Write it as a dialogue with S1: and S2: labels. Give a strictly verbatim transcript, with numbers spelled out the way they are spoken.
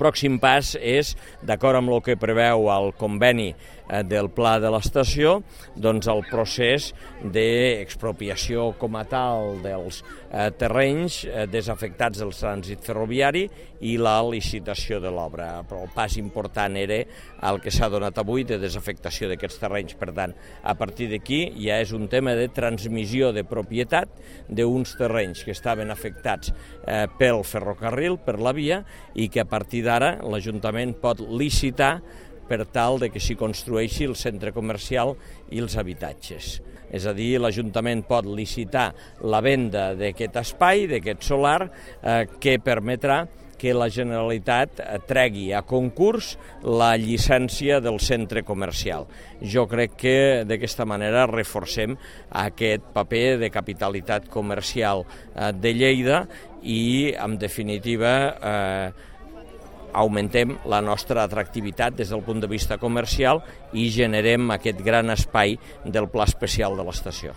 S1: pròxim pas és, d'acord amb el que preveu el conveni del pla de l'estació, doncs el procés d'expropiació com a tal dels eh, terrenys eh, desafectats del trànsit ferroviari i la licitació de l'obra. Però el pas important era el que s'ha donat avui de desafectació d'aquests terrenys. Per tant, a partir d'aquí ja és un tema de transmissió de propietat d'uns terrenys que estaven afectats eh, pel ferrocarril, per la via, i que a partir d'ara l'Ajuntament pot licitar per tal de que s'hi construeixi el centre comercial i els habitatges. És a dir, l'Ajuntament pot licitar la venda d'aquest espai, d'aquest solar, eh, que permetrà que la Generalitat tregui a concurs la llicència del centre comercial. Jo crec que d'aquesta manera reforcem aquest paper de capitalitat comercial eh, de Lleida i, en definitiva, eh, augmentem la nostra atractivitat des del punt de vista comercial i generem aquest gran espai del Pla Especial de l'estació.